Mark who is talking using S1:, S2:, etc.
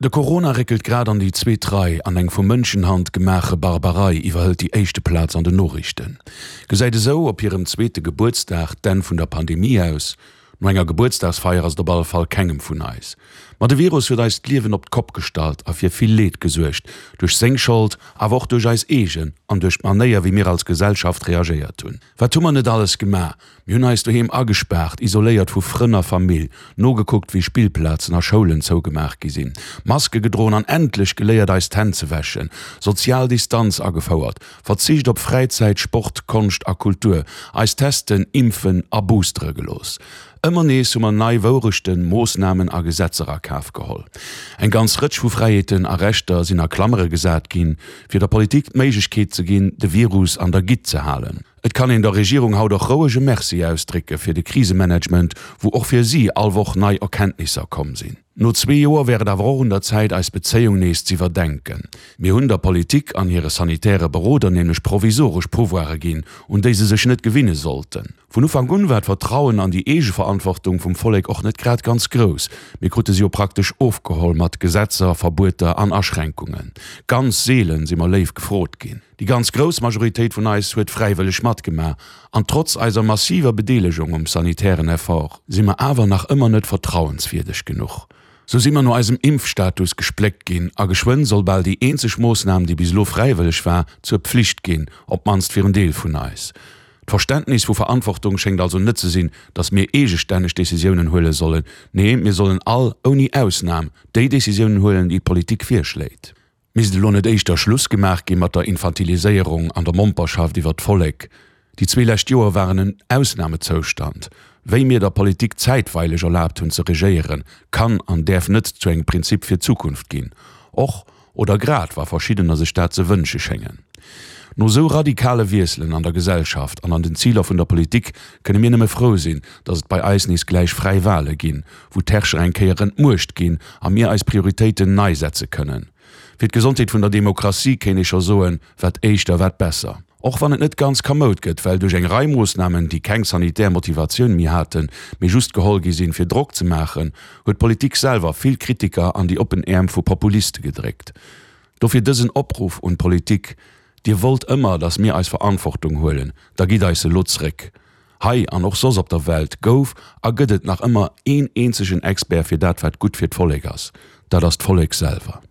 S1: De Corona réckelt grad an déi zweet Rei an eng vu Mënschenhand gemaache Barbarei iwwerhëlt déi éischte Plaz an den Noriichten. Gesäit esou op hirem zweete Gebuertsdag d'Enn vun der Pandemie aus? No enger Gebuertsdagsfeier ass et op alle Fall kengem vun eis. Ma de Virus huet eis d'Liewen op d'Kopp gestallt a fir vill Leed gesuergt. Duerch seng Schold, awer och duerch eis eegen an duerch d'Manéier wéi mir als Gesellschaft reagéiert hunn. Wat hu mer net alles gemaach? Mir hunn eis doheem agespaart, isoléiert vu Frënn a Famill, nogekuckt wéi Spillplazen a Schoulen zougemaach gi sinn, Maske gedroen an endlech geléiert eis d'Hänn ze wäschen, sozial Distanz agefouert, Verzicht op Fräizäit, Sport, Konscht a Kultur, eis testen, impfen a boostere gelooss. Ëmmer nees hu mer nei Wourechten, Moossnamen a Gesetzer a Kaf geholl. Eng ganz Rëtsch vu Fräiheeten a Rechter sinn a Klammere gesat ginn, fir der Politik d'Méiglechkeet ze ginn, de Virus an der Gitt ze halen. Et kann een der Regierung haut och roueg e Merci ausdrécke fir de Krisemanagement, wou och fir si all Woch nei Erkenntnisser komm sinn. No zwee Joer wär et awer och un der Zäit, eis Bezéiung nees z'iwwerdenken. Mir hunn der Politik an hire sanitäre Beroder nämlech provisoresch Pouvoire ginn, un déi se sech net gewinne sollten. Vun Ufank un war d'Vertrauen an déi Eegeverantwortung vum Vollek och net grad ganz grouss. Mir krute se jo praktesch ofgeholl mat Gesetzer, Verbueter an Aschränkungen. Ganz seelen si mer léif gefrot ginn. Déi ganz grouss Majoritéit vun eis huet fräiwëlleg matgemaach, an trotz eiser massiver Bedeelegung um sanitären Effort si mer awer nach ëmmer net vertrauenswierdeg genuch. Sou si mer no eisem Impfstatus gespléckt ginn, a geschwënn soll bal déi eenzeg Moossnam, déi bis elo fräiwëlleg war, zur Pflicht ginn, op d'mannst fir en Deel vun eis. D'Verständnis vu Verantwortung schéngt also net ze sinn, datt mir eegestänneg Decisiounen huele sollen, nee, mir sollen all, ouni Ausnam, déi Decisiounen huelen, déi d'Politik virschléit. Misst elo net éischter Schluss gemaach gi mat der Infantiliséierung an der Momperschaft iwwer d'Vollek? Déi zwee lescht Joer waren en Ausnamezoustand. Wéi mir der Politik zäitweileg erlaabt hunn ze regéieren, kann an däerf net zu engem Prinzip fir d'Zukunft ginn. Och oder grad wa verschiddener sech dat ze wënsche schéngen. No sou radikale Wiesselen an der Gesellschaft an an den Ziler vun der Politik kënne mir nëmme frou sinn, datt et bei eis nees gläich fräi Wale ginn, wou d'Herrscher eng Kéier entmuecht ginn a mir eis Prioritéiten nei setze kënnen. Fir d'Gesondheet vun der Demokratie kéint ee scho soen, wat éischter, wat besser. Och wann et net ganz kamoud gëtt, well duerch eng Rei Moossnamen, déi keng sanitär Motivatioun méi haten, mee just geholl gi sinn, fir Drock ze maachen, huet d'Politik selwer vill Kritiker an déi oppen Äerm vu Populiste gedréckt. Dofir dësen Opruff un d'Politik, Dir wollt ëmmer, datt mir eis Verantwortung huelen, da gitt eis se elo zréck. Hei an och soss op der Welt gouf a gëtt et nach ëmmer een eenzegen Expert fir dat wat gutt fir d'Vollek ass, dat ass d'Vollek selwer.